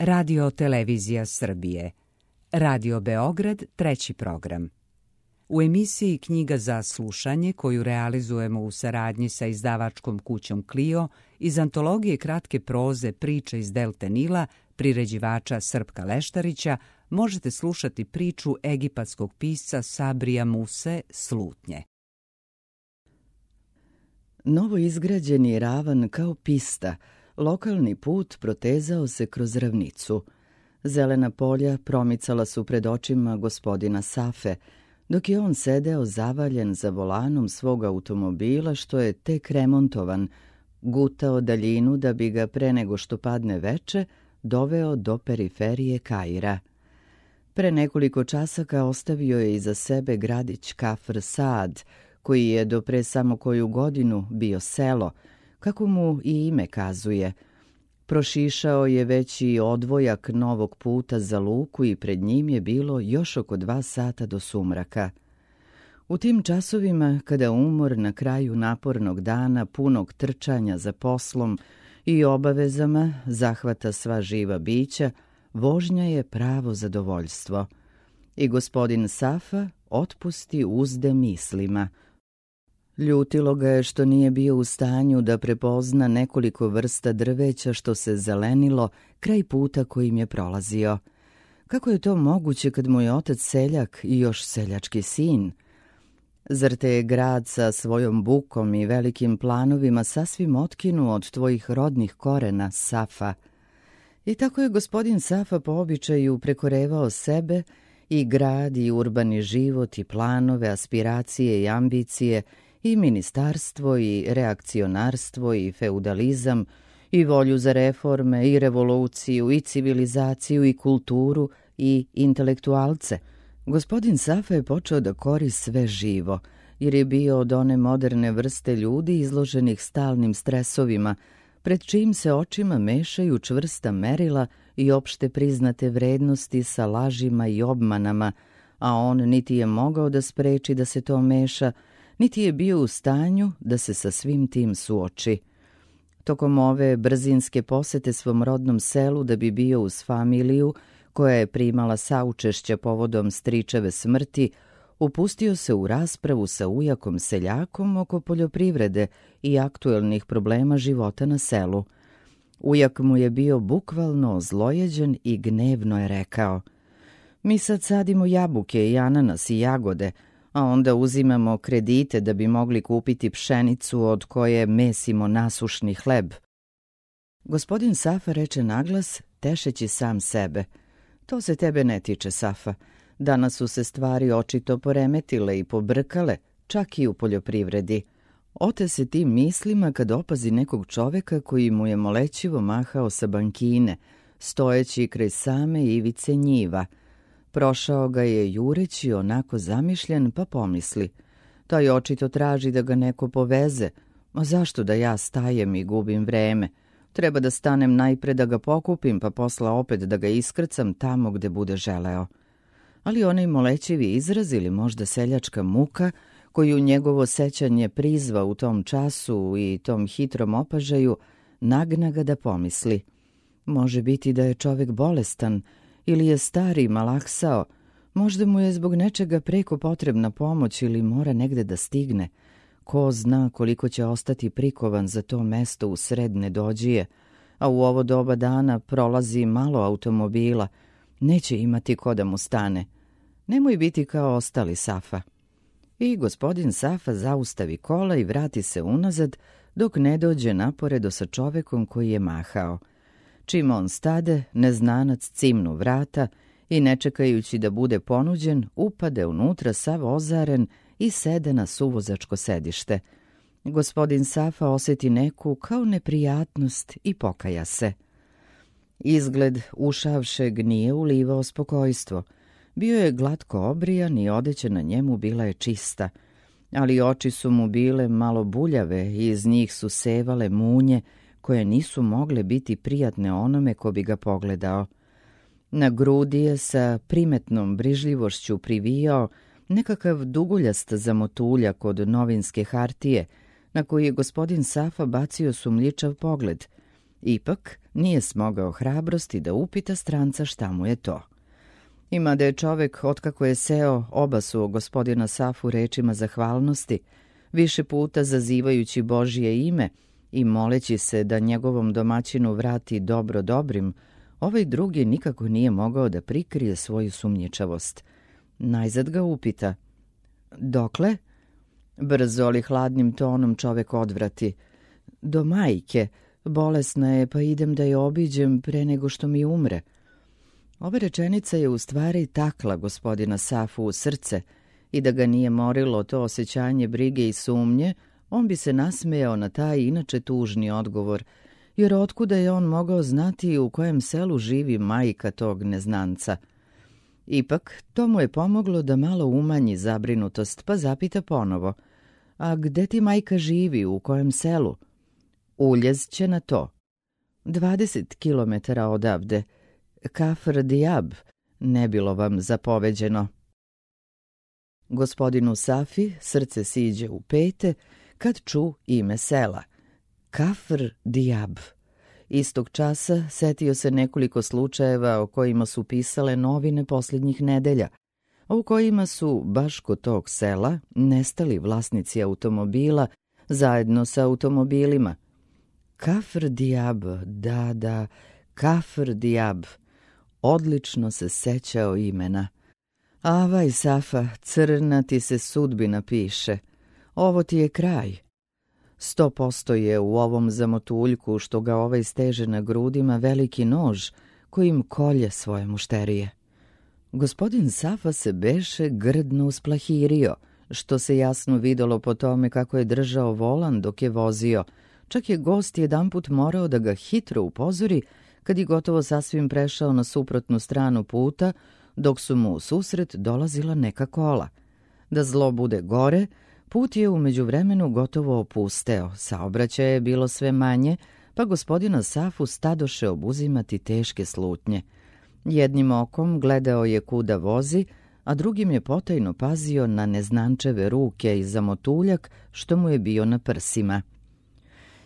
Radio Televizija Srbije, Radio Beograd, 3. program. U emisiji Knjiga za slušanje, koju realizujemo u saradnji sa izdavačkom kućom Clio, iz antologije kratke proze Priče iz Delte Nila, priređivača Srpka Leštarića, možete slušati priču egipatskog pisca Sabrija Muse Slutnje. Novo izgrađeni ravan kao pista, lokalni put protezao se kroz ravnicu. Zelena polja promicala su pred očima gospodina Safe, dok je on sedeo zavaljen za volanom svog automobila što je tek remontovan, gutao daljinu da bi ga pre nego što padne veče doveo do periferije Kaira. Pre nekoliko časaka ostavio je iza sebe gradić Kafr Saad, koji je do pre samo koju godinu bio selo, kako mu i ime kazuje. Prošišao je već i odvojak novog puta za luku i pred njim je bilo još oko 2 sata do sumraka. U tim časovima, kada umor na kraju napornog dana punog trčanja za poslom i obavezama zahvata sva živa bića, vožnja je pravo zadovoljstvo. I gospodin Safa otpusti uzde mislima. Ljutilo ga je što nije bio u stanju da prepozna nekoliko vrsta drveća što se zelenilo kraj puta kojim je prolazio. Kako je to moguće kad mu je otac seljak i još seljački sin? Zar te je grad sa svojom bukom i velikim planovima sasvim otkinuo od tvojih rodnih korena, Safa? I tako je gospodin Safa po običaju prekorevao sebe i grad i urbani život i planove, aspiracije i ambicije i ministarstvo i reakcionarstvo i feudalizam i volju za reforme i revoluciju i civilizaciju i kulturu i intelektualce. Gospodin Safa je počeo da kori sve živo, jer je bio od one moderne vrste ljudi izloženih stalnim stresovima, pred čijim se očima mešaju čvrsta merila i opšte priznate vrednosti sa lažima i obmanama, a on niti je mogao da spreči da se to meša, niti je bio u stanju da se sa svim tim suoči. Tokom ove brzinske posete svom rodnom selu da bi bio uz familiju, koja je primala saučešća povodom stričeve smrti, upustio se u raspravu sa ujakom seljakom oko poljoprivrede i aktuelnih problema života na selu. Ujak mu je bio bukvalno ozlojeđen i gnevno je rekao: "Mi sad sadimo jabuke i ananas i jagode, a onda uzimamo kredite da bi mogli kupiti pšenicu od koje mesimo nasušni hleb." Gospodin Safa reče naglas, tešeći sam sebe: "To se tebe ne tiče, Safa. Danas su se stvari očito poremetile i pobrkale, čak i u poljoprivredi." Ote se tim mislima kad opazi nekog čoveka koji mu je molećivo mahao sa bankine, stojeći kraj same ivice njiva. Prošao ga je jureći onako zamišljen, pa pomisli: "Taj očito traži da ga neko poveze, a zašto da ja stajem i gubim vreme? Treba da stanem najpre da ga pokupim, pa posla opet da ga iskrcam tamo gde bude želeo." Ali onaj molećivi izraz ili možda seljačka muka, koju njegovo sećanje prizva u tom času i tom hitrom opažaju, nagna ga da pomisli: može biti da je čovek bolestan ili je stari malaksao, možda mu je zbog nečega preko potrebna pomoć ili mora negde da stigne. Ko zna koliko će ostati prikovan za to mesto u sred nedođije, a u ovo doba dana prolazi malo automobila, neće imati ko da mu stane. Nemoj biti kao ostali, Safa. I gospodin Safa zaustavi kola i vrati se unazad dok ne dođe naporedo sa čovekom koji je mahao. Čim on stade, neznanac cimnu vrata i ne čekajući da bude ponuđen, upade unutra sav ozaren i sede na suvozačko sedište. Gospodin Safa osjeti neku kao neprijatnost i pokaja se. Izgled ušavšeg nije ulivao spokojstvo. Bio je glatko obrijan i odeća na njemu bila je čista, ali oči su mu bile malo buljave i iz njih su sevale munje koje nisu mogle biti prijatne onome ko bi ga pogledao. Na grudi je sa primetnom brižljivošću privijao nekakav duguljast zamotuljak od novinske hartije, na koji je gospodin Safa bacio sumljičav pogled. Ipak, nije smogao hrabrosti da upita stranca šta mu je to. Ima da je čovek, otkako je seo, obasuo gospodina Safu rečima zahvalnosti, više puta zazivajući Božje ime i moleći se da njegovom domaćinu vrati dobro dobrim, ovaj drugi nikako nije mogao da prikrije svoju sumnjičavost. Najzad ga upita: "Dokle?" Brzo, ali hladnim tonom čovek odvrati: "Do majke, bolesna je, pa idem da je obiđem pre nego što mi umre." Ova rečenica je u stvari takla gospodina Safu u srce i da ga nije morilo to osjećanje brige i sumnje, on bi se nasmejao na taj inače tužni odgovor, jer otkuda je on mogao znati u kojem selu živi majka tog neznanca. Ipak, to mu je pomoglo da malo umanji zabrinutost, pa zapita ponovo: "A gde ti majka živi, u kojem selu?" "Uljez će na to." 20 kilometara odavde. Kafr Dijab, ne bilo vam zapoveđeno." Gospodinu Safi srce siđe u pete kad ču ime sela. Kafr Dijab. Istog časa setio se nekoliko slučajeva o kojima su pisale novine posljednjih nedelja, a u kojima su, baš kod tog sela, nestali vlasnici automobila zajedno sa automobilima. Kafr Dijab, da, Kafr Dijab. Odlično se sećao imena. "Avaj, Safa, crna ti se sudbina piše. Ovo ti je kraj." 100% je u ovom zamotuljku što ga ovaj steže na grudima veliki nož kojim kolje svoje mušterije. Gospodin Safa se beše grdno usplahirio, što se jasno videlo po tome kako je držao volan dok je vozio. Čak je gost jedanput morao da ga hitro upozori kad je gotovo sasvim prešao na suprotnu stranu puta, dok su mu u susret dolazila neka kola. Da zlo bude gore, put je u međuvremenu gotovo opusteo, saobraćaja je bilo sve manje, pa gospodina Safu stadoše obuzimati teške slutnje. Jednim okom gledao je kuda vozi, a drugim je potajno pazio na neznančeve ruke i zamotuljak što mu je bio na prsima.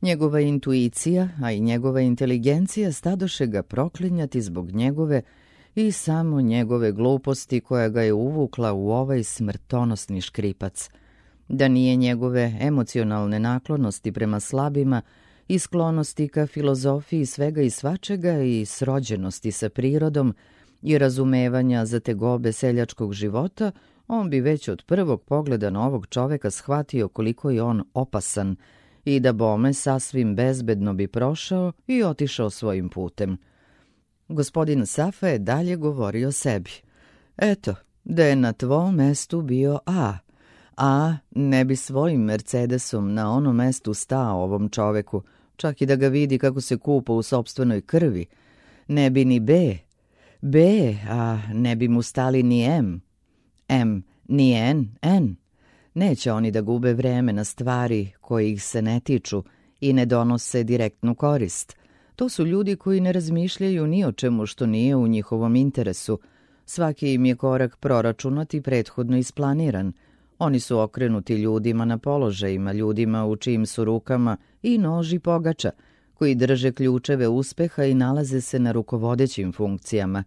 Njegova intuicija, a i njegova inteligencija stadoše ga proklinjati zbog njegove i samo njegove gluposti koja ga je uvukla u ovaj smrtonosni škripac. Da nije njegove emocionalne naklonosti prema slabima i sklonosti ka filozofiji svega i svačega i srođenosti sa prirodom i razumevanja za tegobe seljačkog života, on bi već od prvog pogleda na ovog čoveka shvatio koliko je on opasan i da bome sasvim bezbedno bi prošao i otišao svojim putem. Gospodin Safa je dalje govorio sebi: "Eto, da je na tvom mestu bio A ne bi svojim Mercedesom na ono mestu stao ovom čoveku, čak i da ga vidi kako se kupa u sopstvenoj krvi. Ne bi ni B, a ne bi mu stali ni M ni N. Neće oni da gube vreme na stvari koje ih se ne tiču i ne donose direktnu korist. To su ljudi koji ne razmišljaju ni o čemu što nije u njihovom interesu. Svaki im je korak proračunat i prethodno isplaniran. Oni su okrenuti ljudima na položajima, ljudima u čijim su rukama i noži pogača, koji drže ključeve uspeha i nalaze se na rukovodećim funkcijama.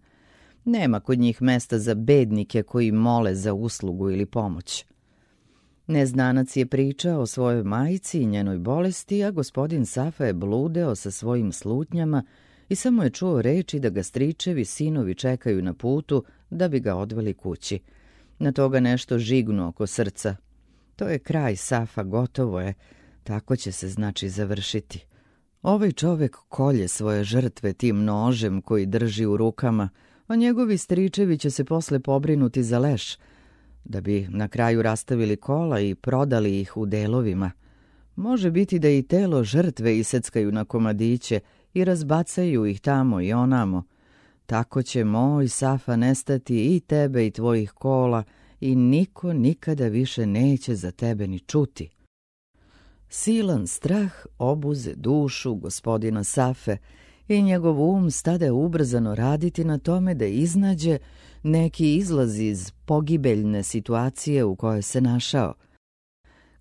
Nema kod njih mesta za bednike koji mole za uslugu ili pomoć." Neznanac je pričao o svojoj majci i njenoj bolesti, a gospodin Safa je bludeo sa svojim slutnjama i samo je čuo reči da ga stričevi sinovi čekaju na putu da bi ga odveli kući. Na toga nešto žignu oko srca. To je kraj, Safa, gotovo je. Tako će se znači završiti. Ovaj čovek kolje svoje žrtve tim nožem koji drži u rukama, a njegovi stričevi će se posle pobrinuti za leš, da bi na kraju rastavili kola i prodali ih u delovima. Može biti da i telo žrtve iseckaju na komadiće i razbacaju ih tamo i onamo. Tako će moj Safa nestati i tebe i tvojih kola i niko nikada više neće za tebe ni čuti. Silan strah obuze dušu gospodina Safe i njegov um stade ubrzano raditi na tome da iznađe neki izlaz iz pogibeljne situacije u kojoj se našao.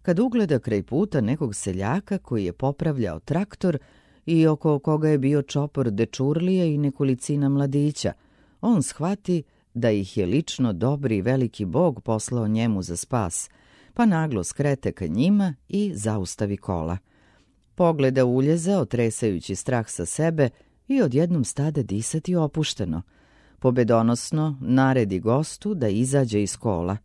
Kad ugleda kraj puta nekog seljaka koji je popravljao traktor i oko koga je bio čopor dečurlije i nekolicina mladića, on shvati da ih je lično dobri i veliki Bog poslao njemu za spas, pa naglo skrete ka njima i zaustavi kola. Pogleda uljeza, otresajući strah sa sebe, i odjednom stade disati opušteno. Pobedonosno naredi gostu da izađe iz kola.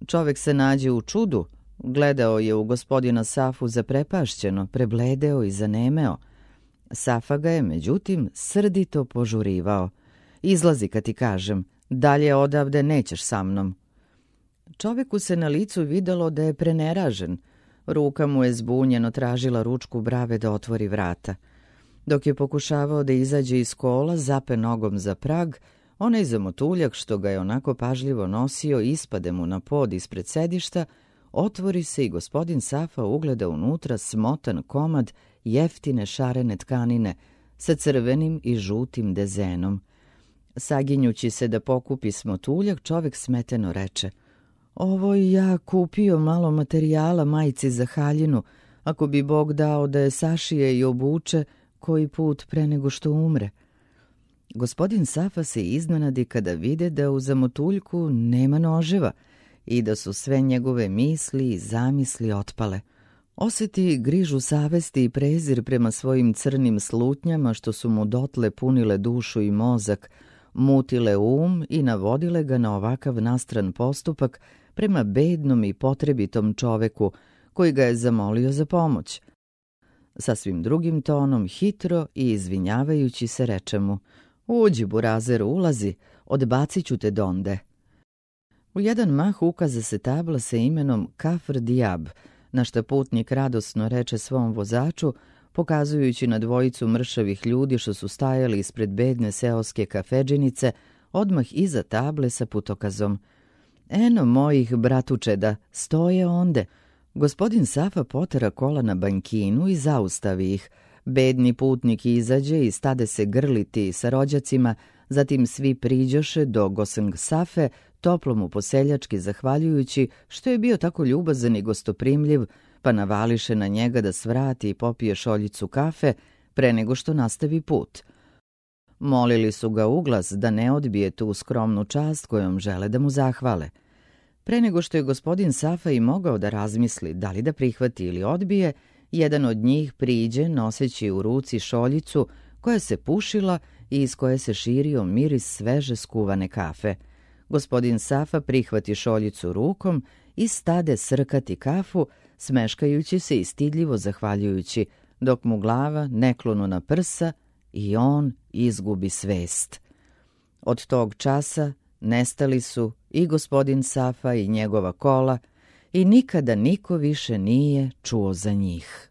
Čovek se nađe u čudu, gledao je u gospodina Safu zaprepašćeno, prebledeo i zanemeo. Safa ga je, međutim, srdito požurivao. Izlazi kad ti kažem, dalje odavde nećeš sa mnom. Čoveku se na licu videlo da je preneražen. Ruka mu je zbunjeno tražila ručku brave da otvori vrata. Dok je pokušavao da izađe iz kola, zape nogom za prag, onaj zamotuljak što ga je onako pažljivo nosio ispade mu na pod ispred sedišta, otvori se i gospodin Safa ugleda unutra smotan komad jeftine šarene tkanine sa crvenim i žutim dezenom. Saginjući se da pokupi smotuljak, čovek smeteno reče: „Ovo ja kupio malo materijala majci za haljinu, ako bi Bog dao da je sašije i obuče koji put pre nego što umre." Gospodin Safa se iznenadi kada vide da u zamotuljku nema noževa i da su sve njegove misli i zamisli otpale. Osjeti grižu savesti i prezir prema svojim crnim slutnjama što su mu dotle punile dušu i mozak, mutile i navodile ga na ovakav nastran postupak prema bednom i potrebitom čoveku koji ga je zamolio za pomoć. Sasvim drugim tonom, hitro i izvinjavajući se, reče mu: „Uđi, burazeru, ulazi, odbacit ću te donde." U jedan mah ukaza se tabla sa imenom Kafr Dijab, na šta putnik radosno reče svom vozaču, pokazujući na dvojicu mršavih ljudi što su stajali ispred bedne seoske kafedžinice, odmah iza table sa putokazom: „Eno mojih bratučeda, stoje onde." Gospodin Safa potera kola na bankinu i zaustavi ih. Bedni putnik izađe i stade se grliti sa rođacima, zatim svi priđoše do Goseng Safe, toplo mu poseljački zahvaljujući što je bio tako ljubazan i gostoprimljiv, pa navališe na njega da svrati i popije šoljicu kafe pre nego što nastavi put. Molili su ga uglas da ne odbije tu skromnu čast kojom žele da mu zahvale. Pre nego što je gospodin Safa i mogao da razmisli da li da prihvati ili odbije, jedan od njih priđe noseći u ruci šoljicu koja se pušila i iz koje se širio miris sveže skuvane kafe. Gospodin Safa prihvati šoljicu rukom i stade srkati kafu, smeškajući se i stidljivo zahvaljujući, dok mu glava ne klonu na prsa i on izgubi svest. Od tog časa nestali su i gospodin Safa i njegova kola i nikada niko više nije čuo za njih.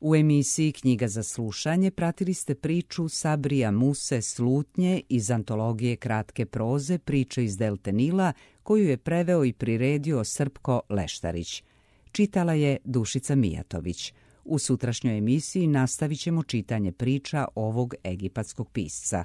U emisiji Knjiga za slušanje pratili ste priču Sabrija Muse Slutnje iz antologije kratke proze Priče iz Delte Nila, koju je preveo i priredio Srpko Leštarić. Čitala je Dušica Mijatović. U sutrašnjoj emisiji nastavit ćemo čitanje priča ovog egipatskog pisca.